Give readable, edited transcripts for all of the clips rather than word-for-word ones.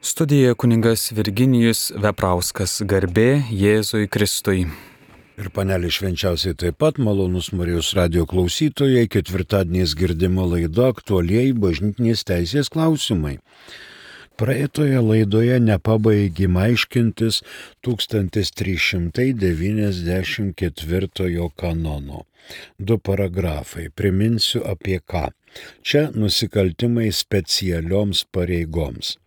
Studijoje kuningas Virginijus Veprauskas, garbė Jėzui Kristui. Ir panelė švenčiausiai taip pat, malonus Marijos radijo klausytojai, ketvirtadieniais girdima laida aktualieji bažnytinės teisės klausimai. Praeitoje laidoje nepabaigėme aiškintis 1394 kanono. 2 paragrafai, priminsiu apie ką. Čia nusikaltimai specialioms pareigoms.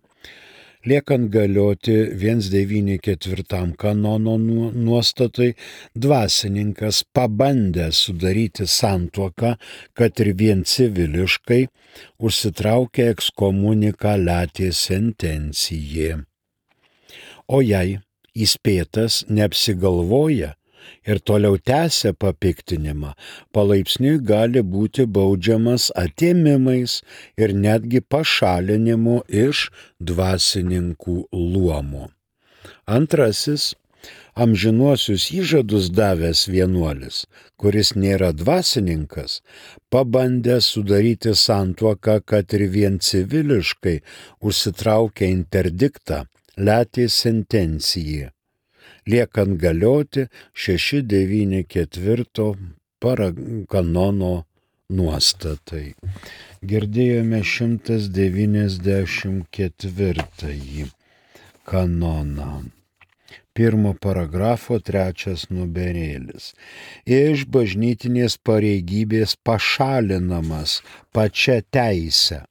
Liekant galioti 194 kanono nuostatai, dvasininkas pabandęs sudaryti santuoką, kad ir vien civiliškai, užsitraukia ekskomunikaliatė sentencijė. O jei įspėtas neapsigalvoja ir toliau tęsia papiktinimą, palaipsniui gali būti baudžiamas atėmimais ir netgi pašalinimu iš dvasininkų luomo. Antrasis, amžinuosius įžadus davęs vienuolis, kuris nėra dvasininkas, pabandęs sudaryti santuoką, kad ir vien civiliškai, užsitraukia interdiktą, letė sentencijai. Liekant galioti 694 kanono nuostatai. Girdėjome 194 kanoną. 1 paragrafo 3 numerėlis. Iš bažnytinės pareigybės pašalinamas pačia teise.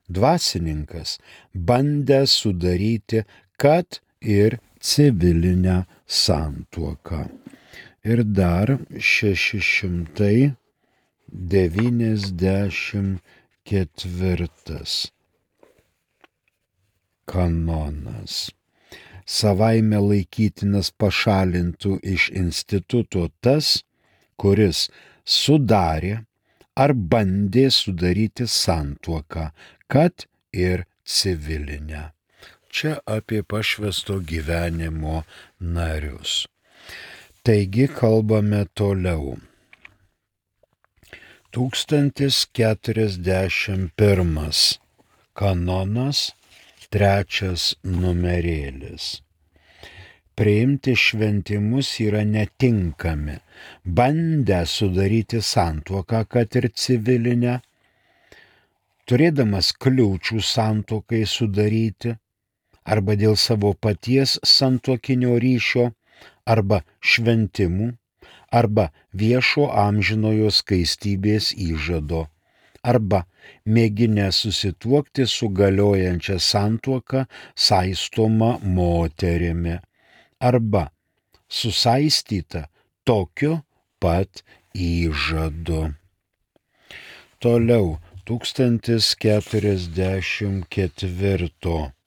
Dvasininkas bandė sudaryti, kad ir civilinę santuoką. Ir dar 694 kanonas. Savaime laikytinas pašalintų iš instituto tas, kuris sudarė ar bandė sudaryti santuoką, kad ir civilinę. Čia apie pašvęsto gyvenimo narius. Taigi kalbame toliau. 1041 kanonas, 3 numerėlis. Priimti šventimus yra netinkami, bandę sudaryti santuoką, kad ir civilinę, turėdamas kliūčių santuokai sudaryti, arba dėl savo paties santuokinio ryšio, arba šventimų, arba viešo amžinojo skaistybės įžado, arba mėginę susituokti su galiojančia santuoka saistoma moterimi, arba susaistyta tokiu pat įžadu. Toliau 1044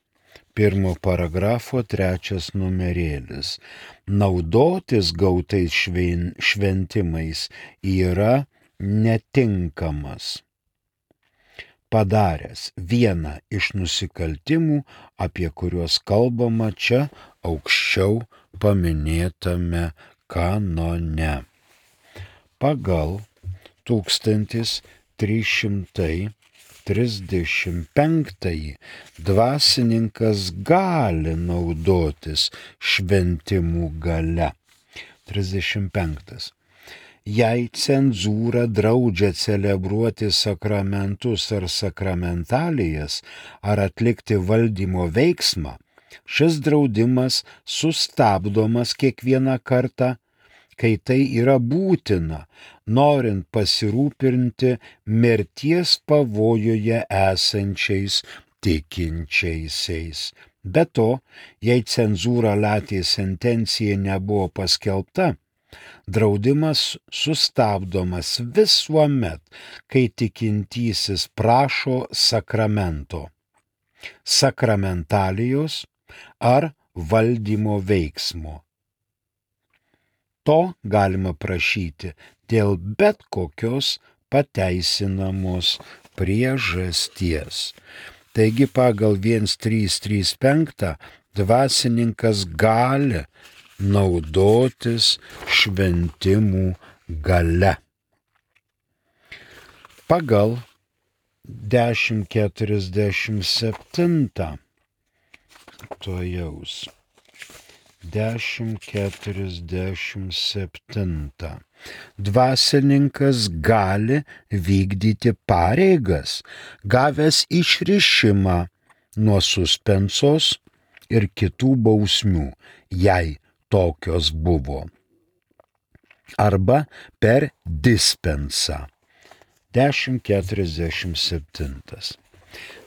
1 paragrafo 3 numerėlis. Naudotis gautais šventimais yra netinkamas, padaręs vieną iš nusikaltimų, apie kuriuos kalbama čia aukščiau paminėtame kanone. Pagal 1335 dvasininkas gali naudotis šventimų galia. 35. Jei cenzūra draudžia celebruoti sakramentus ar sakramentalijas ar atlikti valdymo veiksmą, šis draudimas sustabdomas kiekvieną kartą, kai tai yra būtina, norint pasirūpinti mirties pavojuje esančiais tikinčiaisiais. Be to, jei cenzūra letė sentencija nebuvo paskelbta, draudimas sustabdomas visuomet, kai tikintysis prašo sakramento, sakramentalijos ar valdymo veiksmo. To galima prašyti dėl bet kokios pateisinamos priežasties. Taigi pagal 1335 dvasininkas gali naudotis šventimų galia. Pagal 1047 tuojaus. 10:47. Dvasininkas gali vykdyti pareigas, gavęs išrišimą nuo suspensos ir kitų bausmių, jei tokios buvo. Arba per dispensą. 10:47.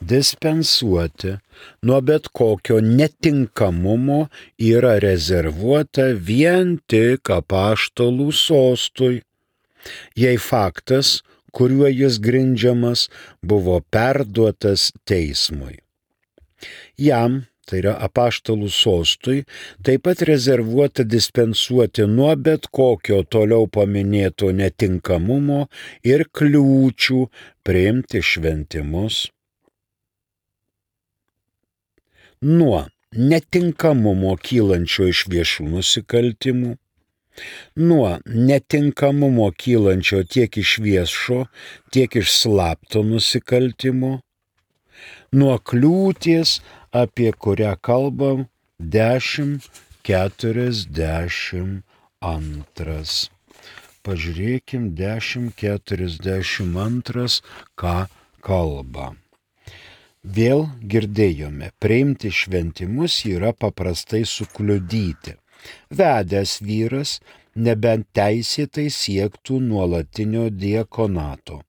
Dispensuoti nuo bet kokio netinkamumo yra rezervuota vien tik apaštalų sostui, jei faktas, kuriuo jis grindžiamas, buvo perduotas teismui. Jam, tai yra apaštalų sostui, taip pat rezervuota dispensuoti nuo bet kokio toliau paminėto netinkamumo ir kliūčių priimti šventimus. Nuo netinkamumo kylančio iš viešų nusikaltimų, nuo netinkamumo kylančio tiek iš viešo, tiek iš slapto nusikaltimo, nuo kliūties, apie kurią kalbam 10:42. Pažiūrėkim 10:42, ką kalba. Vėl girdėjome, priimti šventimus yra paprastai sukliudyti. Vedęs vyras nebent teisėtai siektų nuolatinio diakonato.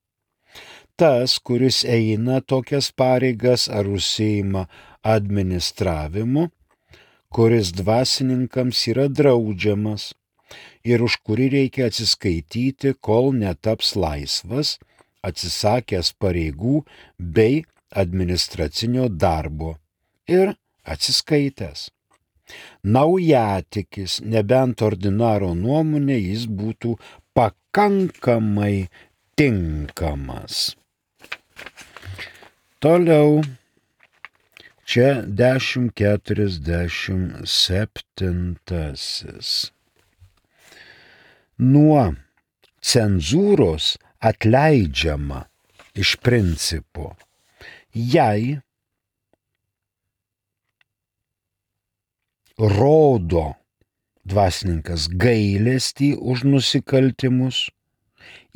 Tas, kuris eina tokias pareigas ar užsiima administravimu, kuris dvasininkams yra draudžiamas ir už kurį reikia atsiskaityti, kol netaps laisvas, atsisakęs pareigų bei administracinio darbo ir atsiskaitęs. Naujatikis, nebent ordinaro nuomonė, jis būtų pakankamai tinkamas. Toliau, čia 10:47. Nuo cenzūros atleidžiama iš principo, jei rodo dvasininkas gailestį už nusikaltimus,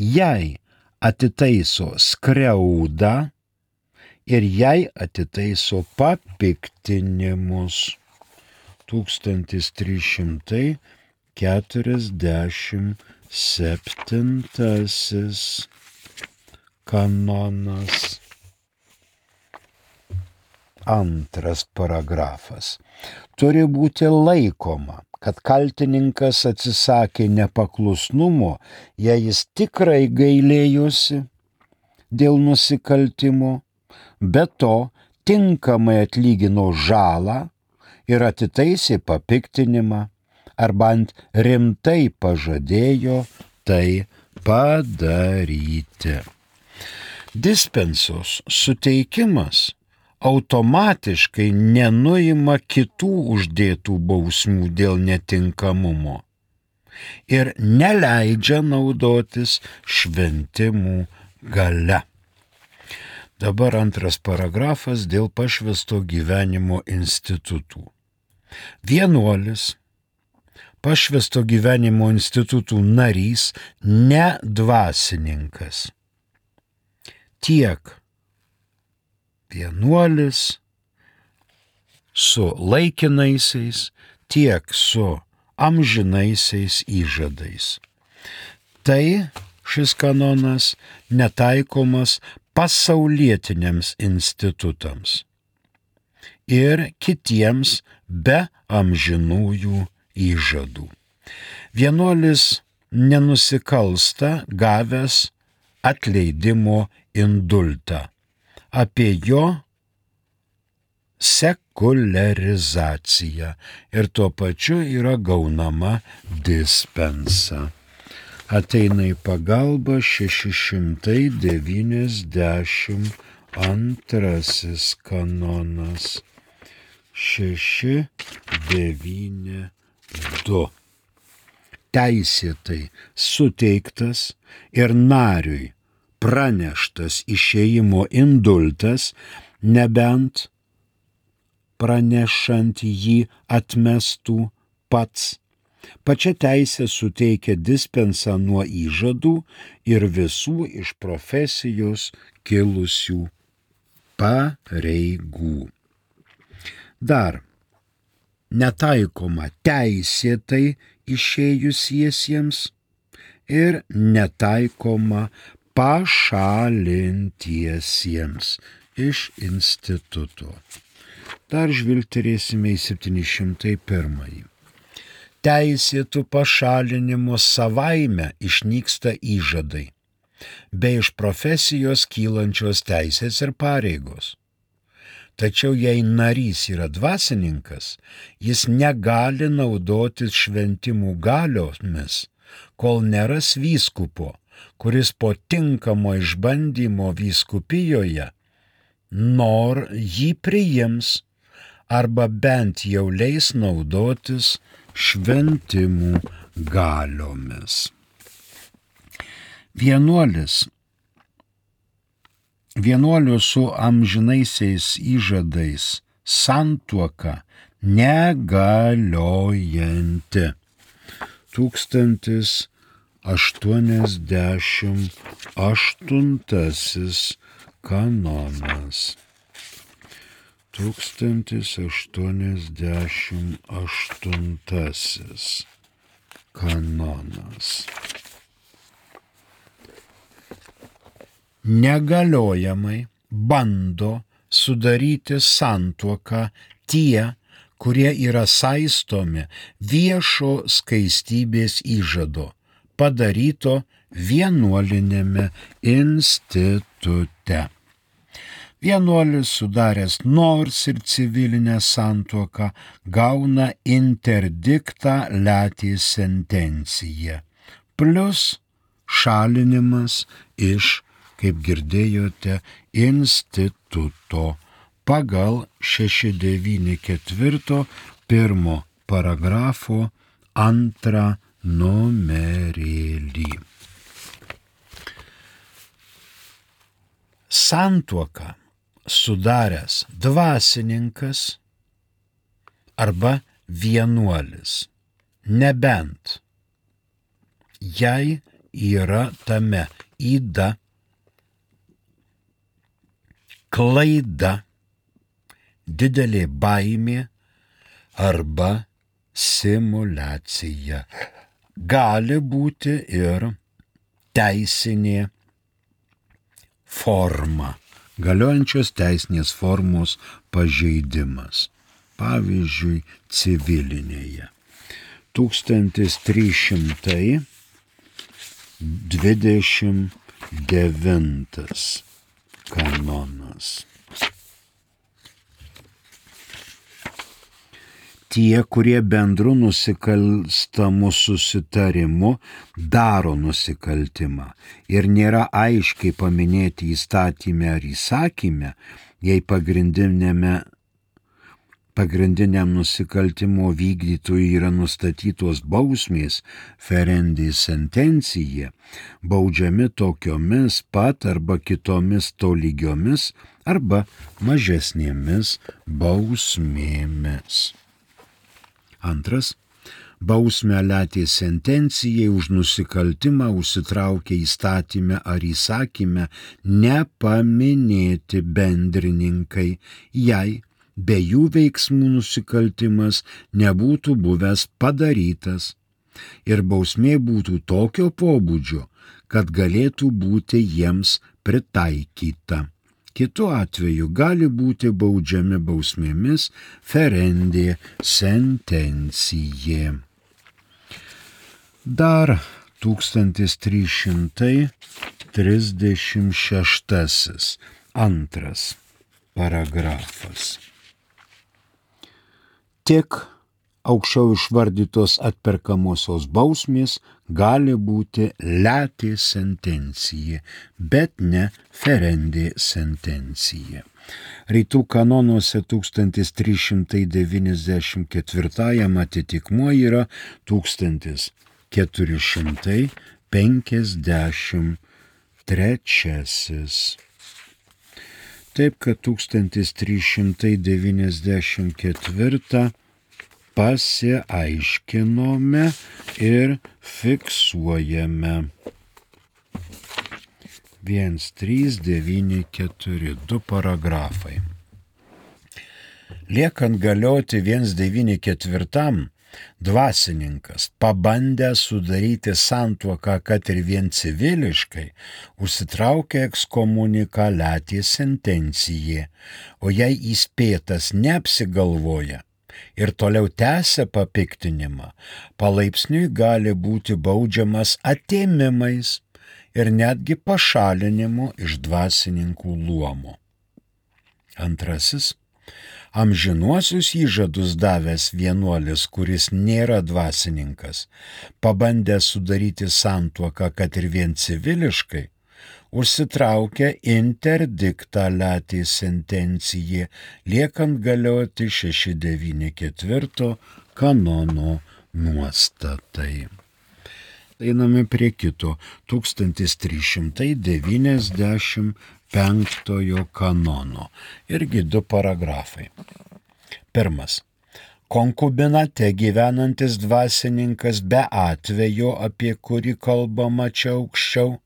jei atitaiso skriaudą ir jei atitaiso papiktinimus. 1347 kanonas. Antras paragrafas. Turi būti laikoma, kad kaltininkas atsisakė nepaklusnumo, jei jis tikrai gailėjosi dėl nusikaltimo, be to tinkamai atlygino žalą ir atitaisė papiktinimą, arba ant rimtai pažadėjo tai padaryti. Dispensos suteikimas automatiškai nenuima kitų uždėtų bausmių dėl netinkamumo ir neleidžia naudotis šventimų galia. Dabar antras paragrafas dėl pašvęsto gyvenimo institutų. Vienuolis, pašvęsto gyvenimo institutų narys, ne dvasininkas. Tiek vienuolis su laikinaisiais, tiek su amžinaisiais įžadais. Tai šis kanonas netaikomas pasaulietiniams institutams ir kitiems be amžinųjų įžadų. Vienuolis nenusikalsta gavęs atleidimo indultą. Apie jo sekuliarizaciją ir tuo pačiu yra gaunama dispensa. Ateina į pagalbą 692 kanonas. 692. Teisėtai suteiktas ir nariui praneštas išėjimo indultas, nebent pranešant jį atmestų pats. Pačia teisė suteikia dispensą nuo įžadų ir visų iš profesijos kilusių pareigų. Dar netaikoma teisėtai išėjusiesiems ir netaikoma pašalintiesiems iš instituto. Dar žvilgterėsime į 701. Teisėtų pašalinimo savaime išnyksta įžadai, bei iš profesijos kylančios teisės ir pareigos. Tačiau jei narys yra dvasininkas, jis negali naudotis šventimų galiomis, kol neras vyskupo, kuris po tinkamo išbandymo vyskupijoje jį priims arba bent jau leis naudotis šventimų galiomis. Vienuolio su amžinaisiais įžadais santuoka negaliojanti. 1088 kanonas. 1088 kanonas. Negaliojamai bando sudaryti santuoką tie, kurie yra saistomi viešo skaistybės įžado, padaryto vienuolinėme institute. Vienuolis sudaręs nors ir civilinę santuoką gauna interdiktą letį sentenciją, plus šalinimas iš, kaip girdėjote, instituto pagal 694 1 paragrafo 2 numerėlį. Santuoką sudaręs dvasininkas arba vienuolis, nebent jei yra tame yda, klaida, didelė baimė arba simuliacija. Gali būti ir teisinė forma, galiojančios teisinės formos pažeidimas, pavyzdžiui, civilinėje. 1329 kanonas. Tie, kurie bendru nusikalstamu susitarimu daro nusikaltimą ir nėra aiškiai paminėti įstatyme ar įsakyme, jei pagrindiniam nusikaltimo vykdytojui yra nustatytos bausmės ferendi sentencija, baudžiami tokiomis pat arba kitomis tolygiomis arba mažesnėmis bausmėmis. Antras, bausmę letė sentencijai už nusikaltimą užsitraukia įstatyme ar įsakyme nepaminėti bendrininkai, jei be jų veiksmų nusikaltimas nebūtų buvęs padarytas ir bausmė būtų tokio pobūdžio, kad galėtų būti jiems pritaikyta. Kitu atveju gali būti baudžiami bausmėmis ferendi sentencija. Dar 1336 2 paragrafas. Tik aukščiau išvardytos atperkamosios bausmės gali būti letė sentencija, bet ne ferendi sentencija. Rytų kanonuose 1394 atitikmuo yra 1453. Taip, kad 1394 pasiaiškinome ir fiksuojame. 1394, 2 paragrafai. Liekant galioti 194, dvasininkas, pabandęs sudaryti santuoką, kad ir vien civiliškai, užsitraukė ekskomunikaliatį sentenciją, o jei įspėtas neapsigalvoja ir toliau tęsia papiktinimą, palaipsniui gali būti baudžiamas atėmimais ir netgi pašalinimu iš dvasininkų luomo. Antrasis. Amžinuosius įžadus davęs vienuolis, kuris nėra dvasininkas, pabandęs sudaryti santuoką, kad ir vien civiliškai, užsitraukia interdictą sentenciją, liekant galioti 694 kanono nuostatai. Einame prie kito 1395 kanono. Irgi 2 paragrafai. 1. Konkubinate gyvenantis dvasininkas be atvejo, apie kurį kalbama čia aukščiau,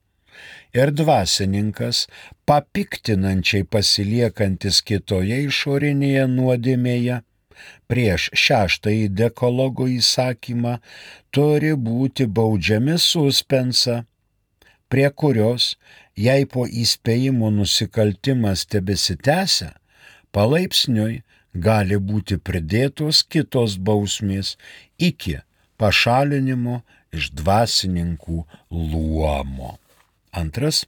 ir dvasininkas, papiktinančiai pasiliekantis kitoje išorinėje nuodėmėje, prieš 6 dekalogo įsakymą turi būti baudžiami suspensą, prie kurios, jei po įspėjimo nusikaltimas tebesitęsia, palaipsniui gali būti pridėtos kitos bausmės iki pašalinimo iš dvasininkų luomo. 2.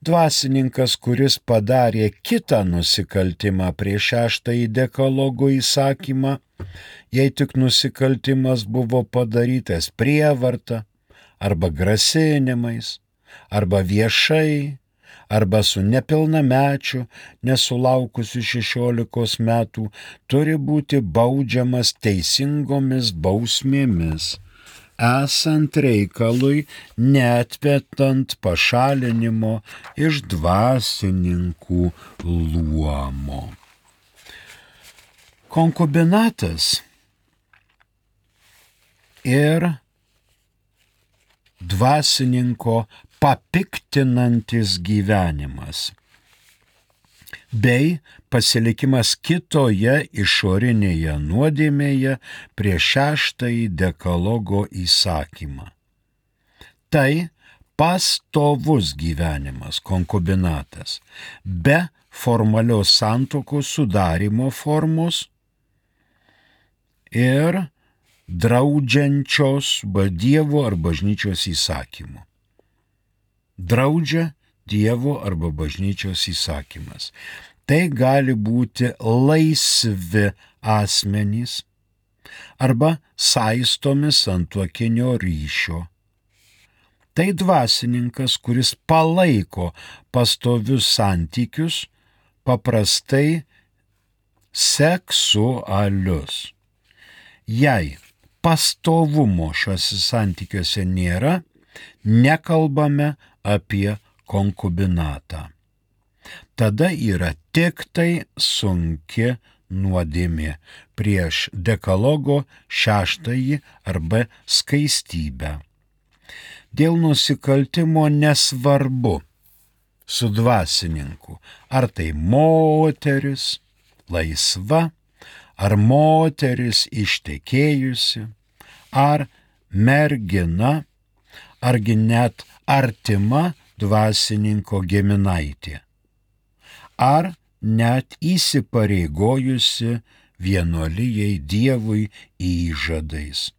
Dvasininkas, kuris padarė kitą nusikaltimą prieš 6 dekalogo įsakymą, jei tik nusikaltimas buvo padarytas prievarta arba grasinimais, arba viešai, arba su nepilnamečiu, nesulaukusiu 16 metų, turi būti baudžiamas teisingomis bausmėmis, esant reikalui neatmetant pašalinimo iš dvasininkų luomo. Konkubinatas ir dvasininko papiktinantis gyvenimas bei pasilikimas kitoje išorinėje nuodėmėje prieš 6 dekalogo įsakymą. Tai pastovus gyvenimas, konkubinatas, be formalios santuokos sudarimo formos ir draudžiančios Dievo ar bažnyčios įsakymų. Draudžia Dievo arba bažnyčios įsakymas. Tai gali būti laisvi asmenys arba saistomi santuokinio ryšio. Tai dvasininkas, kuris palaiko pastovius santykius, paprastai seksualius. Jei pastovumo šiuose santykiuose nėra, nekalbame apie konkubinatą. Tada yra tik tai sunki nuodėmė prieš dekalogo 6 arba skaistybę. Dėl nusikaltimo nesvarbu su dvasininku, ar tai moteris laisva, ar moteris ištekėjusi, ar mergina, argi net artima dvasininko giminaitė, ar net įsipareigojusi vienuolijai Dievui įžadais.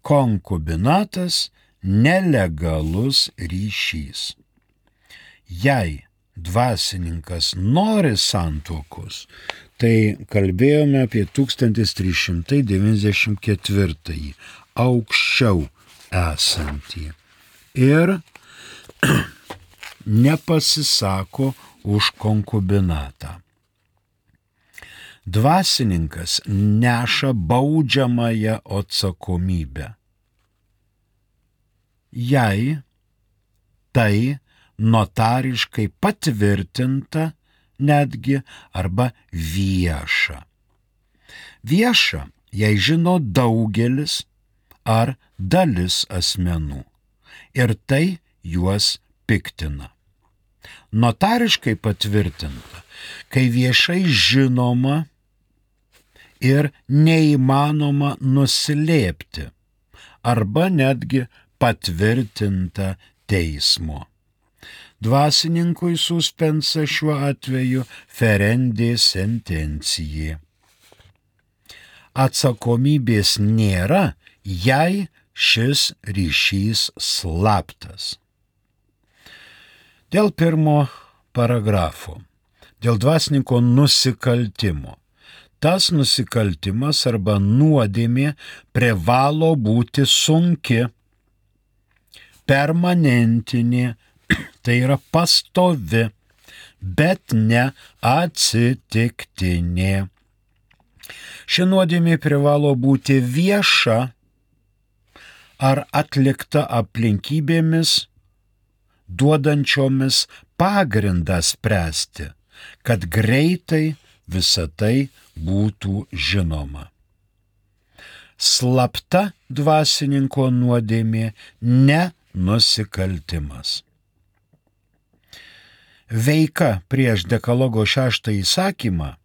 Konkubinatas nelegalus ryšys. Jei dvasininkas nori santuokos, tai kalbėjome apie 1394 aukščiau esantį ir nepasisako už konkubinatą. Dvasininkas neša baudžiamąją atsakomybę. Jei tai notariškai patvirtinta netgi arba vieša. Vieša, jei žino daugelis ar dalis asmenų ir tai juos piktina. Notariškai patvirtinta, kai viešai žinoma ir neįmanoma nuslėpti arba netgi patvirtinta teismo. Dvasininkui suspensa šiuo atveju ferendė sentencijai. Atsakomybės nėra, jei šis ryšys slaptas. Dėl pirmo paragrafo, dėl dvasininko nusikaltimo. Tas nusikaltimas arba nuodėmė privalo būti sunki, permanentinė, tai yra pastovi, bet ne atsitiktinė. Ši nuodėmė privalo būti vieša ar atlikta aplinkybėmis, duodančiomis pagrindą spręsti, kad greitai visa tai būtų žinoma. Slapta dvasininko nuodėmė ne nusikaltimas. Veika prieš dekalogo 6 įsakymą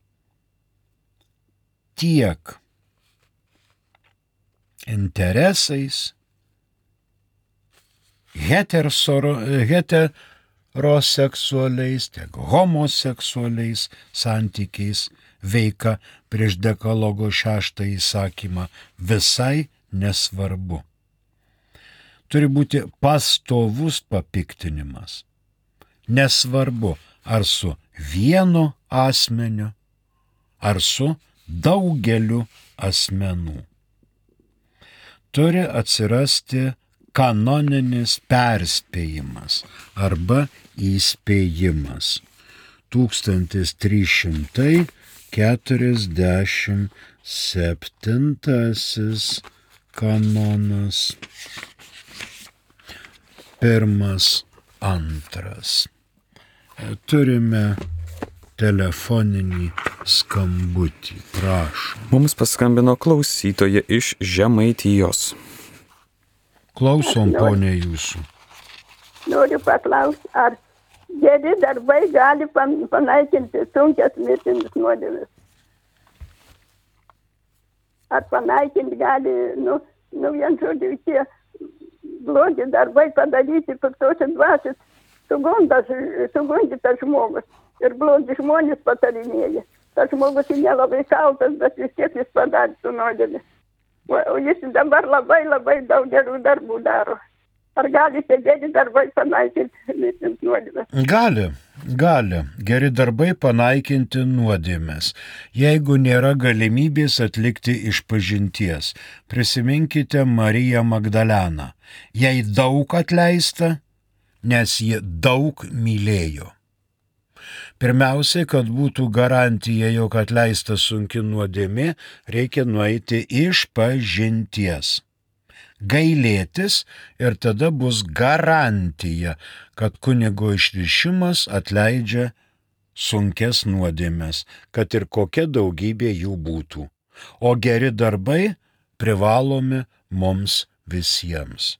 tiek interesais, heteroseksualiais, tiek homoseksualiais santykiais veika prieš dekalogo 6 įsakymą visai nesvarbu. Turi būti pastovus papiktinimas. Nesvarbu, ar su vienu asmeniu, ar su daugeliu asmenų. Turi atsirasti kanoninis perspėjimas arba įspėjimas. 1347 kanonas. 1, 2. Turime telefoninį skambutį. Prašom. Mums paskambino klausytoja iš Žemaitijos. Klausom, ponė, jūsų. Noriu paklausti, ar geri darbai gali panaikinti sunkias mirtinas nuodėmes? Ar panaikinti gali, vien žodžiu, tie blogi darbai padaryti piktosios dvasios, sugundytas žmogus. Ir blogi žmonės patarinėja. Tas žmogus nelabai kaltas, bet vis tiek jis padarė su nuodėmė. O jis dabar labai daug gerų darbų daro. Ar gali tie geri darbai panaikinti mirtinas nuodėmes? Gali. Geri darbai panaikinti nuodėmes, jeigu nėra galimybės atlikti išpažinties. Prisiminkite Mariją Magdaleną. Jai daug atleista, nes ji daug mylėjo. Pirmiausiai, kad būtų garantija, jog atleista sunki nuodėmė, reikia nueiti išpažinties. Gailėtis ir tada bus garantija, kad kunigo išrišimas atleidžia sunkes nuodėmes, kad ir kokia daugybė jų būtų. O geri darbai privalomi mums visiems.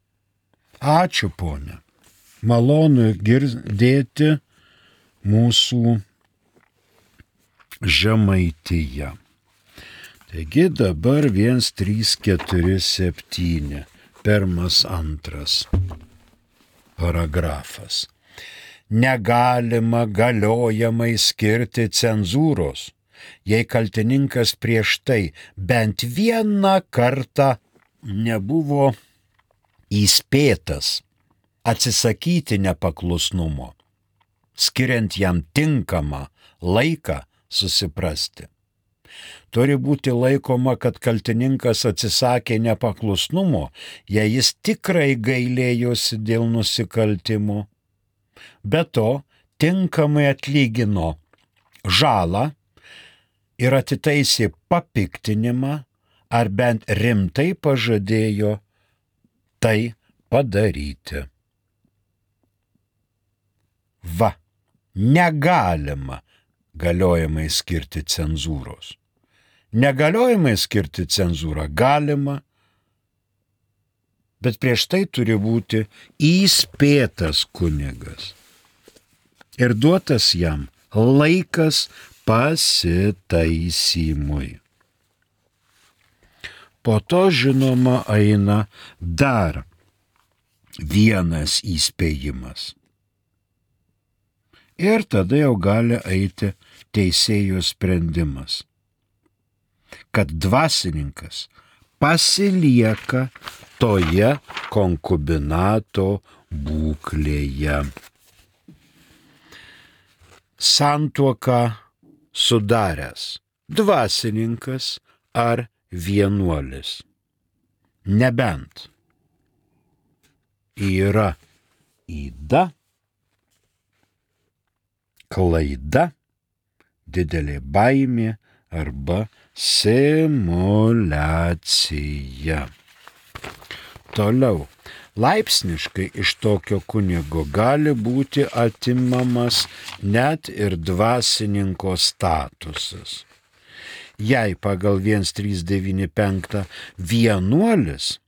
Ačiū, ponė. Malonu girdėti mūsų Žemaitiją. Taigi dabar 1347, 1-2 paragrafas. Negalima galiojamai skirti cenzūros, jei kaltininkas prieš tai bent vieną kartą nebuvo įspėtas atsisakyti nepaklusnumo, skiriant jam tinkamą laiką susiprasti. Turi būti laikoma, kad kaltininkas atsisakė nepaklusnumo, jei jis tikrai gailėjosi dėl nusikaltimo. Be to, tinkamai atlygino žalą ir atitaisė papiktinimą, ar bent rimtai pažadėjo tai padaryti. Negalima galiojamai skirti cenzūros. Negaliojamai skirti cenzūrą galima, bet prieš tai turi būti įspėtas kunigas ir duotas jam laikas pasitaisymui. Po to, žinoma, eina dar vienas įspėjimas. Ir tada jau gali eiti teisėjo sprendimas, kad dvasininkas pasilieka toje konkubinato būklėje. Santuoką sudaręs dvasininkas ar vienuolis, nebent yra yda, klaida, didelė baimė arba simuliacija. Toliau, laipsniškai iš tokio kunigo gali būti atimamas net ir dvasininko statusas. Jei pagal 1395 vienuolis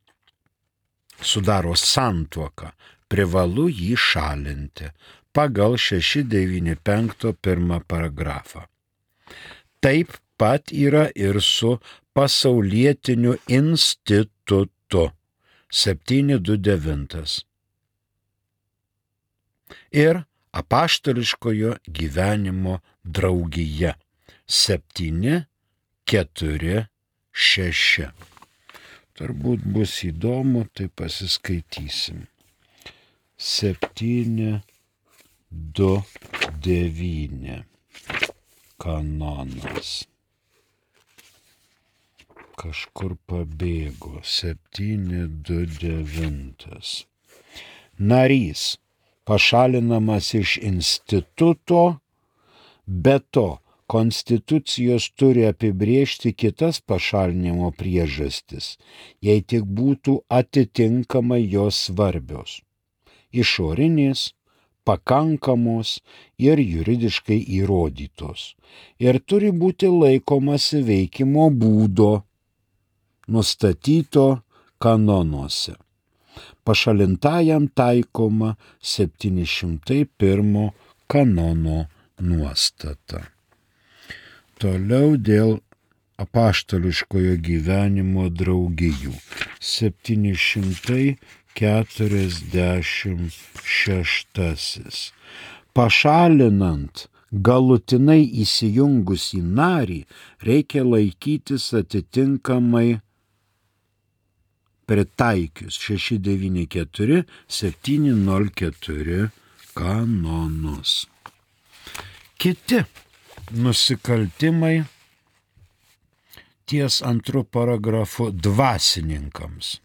sudaro santuoką, privalu jį šalinti pagal 695 pirmą paragrafą. Taip pat yra ir su pasaulietiniu institutu 729 ir apaštališkojo gyvenimo draugija 746. Turbūt bus įdomu, tai pasiskaitysim. 729 kanonas. Kažkur pabėgo. 729. Narys pašalinamas iš instituto, be to konstitucijos turi apibrėžti kitas pašalinimo priežastis, jei tik būtų atitinkamai jos svarbios, išorinės, pakankamos ir juridiškai įrodytos, ir turi būti laikomasi veikimo būdo, nustatyto kanonuose. Pašalintajam taikoma 701 kanono nuostata. Toliau dėl apaštališkojo gyvenimo draugijų. 746. Pašalinant galutinai įsijungusį narį, reikia laikytis atitinkamai pritaikius 694, 704 kanonus. Kiti nusikaltimai ties antru paragrafu dvasininkams.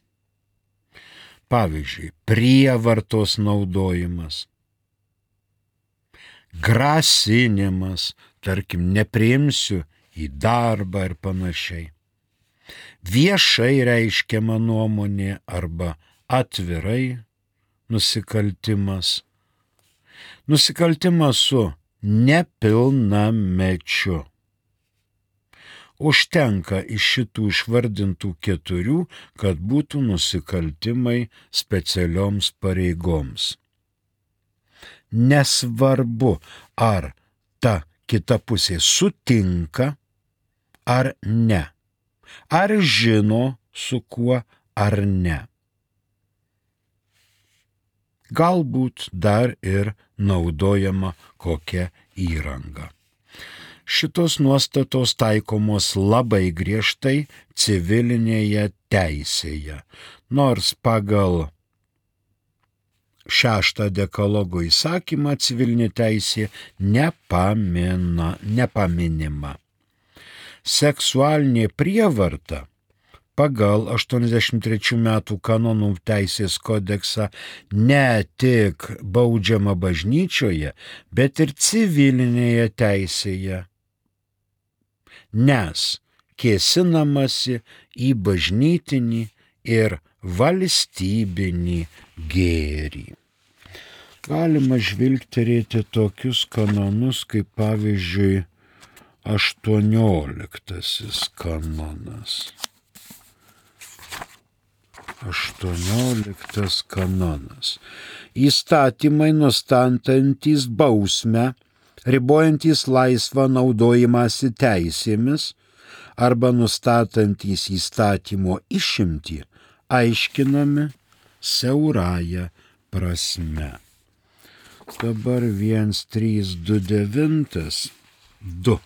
Pavyzdžiui, prievartos naudojimas, grasinimas, tarkim, nepriimsiu į darbą ir panašiai. Viešai reiškiama nuomonė arba atvirai nusikaltimas. Nusikaltimas su nepilnamečiu. Užtenka iš šitų išvardintų 4, kad būtų nusikaltimai specialioms pareigoms. Nesvarbu, ar ta kita pusė sutinka ar ne, ar žino su kuo ar ne. Galbūt dar ir naudojama kokia įranga. Šitos nuostatos taikomos labai griežtai civilinėje teisėje, nors pagal 6 dekalogo įsakymą civilinė teisė nepaminima. Seksualinė prievarta pagal 83 metų kanonų teisės kodeksą ne tik baudžiama bažnyčioje, bet ir civilinėje teisėje, nes kėsinamasi į bažnytinį ir valstybinį gėrį. Galima žvilgterėti tokius kanonus kaip pavyzdžiui 18 kanonas. 18 kanonas. Įstatymai nustatantys bausmę, ribojantys laisvą naudojimąsi teisėmis arba nustatantys įstatymo išimtį, aiškinami siaurąja prasme. Dabar 1329.2.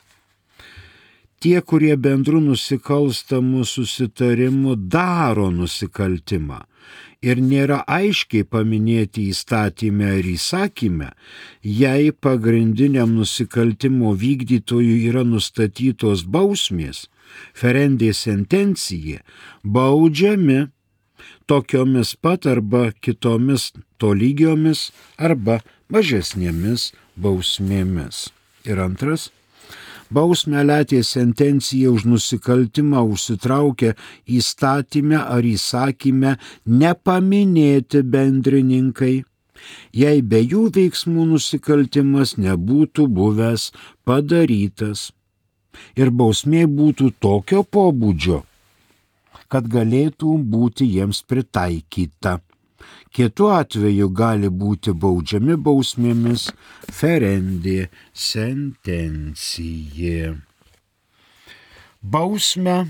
Tie, kurie bendrų nusikalstamų susitarimų daro nusikaltimą ir nėra aiškiai paminėti įstatyme ar įsakyme, jei pagrindiniam nusikaltimo vykdytojui yra nustatytos bausmės, ferendė sentencija, baudžiami tokiomis pat arba kitomis tolygiomis arba mažesnėmis bausmėmis. Ir antras, bausmę letė sentencija už nusikaltimą užsitraukia įstatyme ar įsakyme nepaminėti bendrininkai, jei be jų veiksmų nusikaltimas nebūtų buvęs padarytas ir bausmė būtų tokio pobūdžio, kad galėtų būti jiems pritaikyta. Kitu atveju gali būti baudžiami bausmėmis ferendė sentencija. Bausmę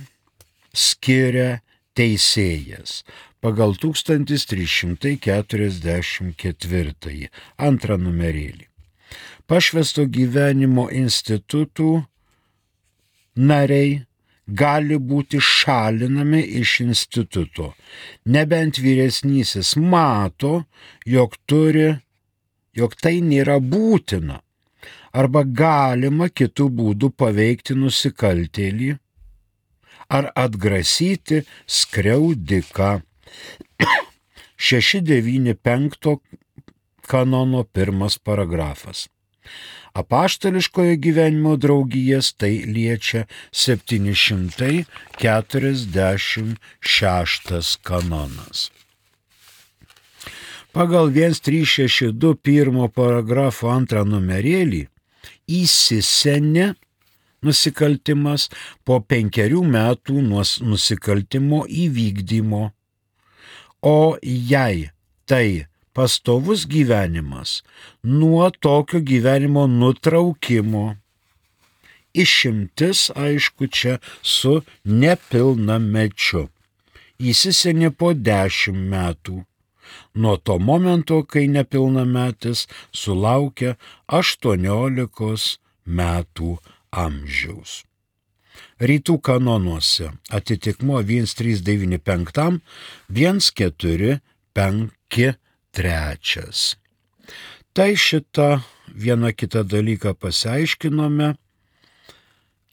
skiria teisėjas pagal 1344 antrą numerėlį. Pašvęsto gyvenimo institutų nariai gali būti šalinami iš instituto, nebent vyresnysis mato, jog tai nėra būtina, arba galima kitų būdų paveikti nusikaltėlį ar atgrasyti skriaudiką. 695 kanono 1 paragrafas. Apaštališkojo gyvenimo draugijas tai liečia 746 kanonas. Pagal 1362 1 paragrafo 2 numerėlį įsisenė nusikaltimas po 5 metų nuo nusikaltimo įvykdymo, o jei tai pastovus gyvenimas nuo tokio gyvenimo nutraukimo. Išimtis, aišku, čia su nepilnamečiu. Įsisenė po 10 metų. Nuo to momento, kai nepilnametis sulaukia 18 metų amžiaus. Rytų kanonuose atitikmuo 1395, 1453. Tai šitą vieną kitą dalyką pasiaiškinome,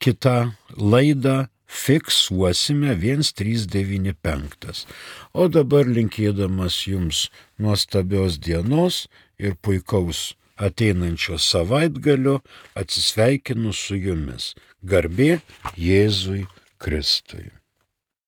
kitą laidą fiksuosime 1395. O dabar linkėdamas jums nuostabios dienos ir puikaus ateinančio savaitgalio atsisveikinu su jumis. Garbė Jėzui Kristui.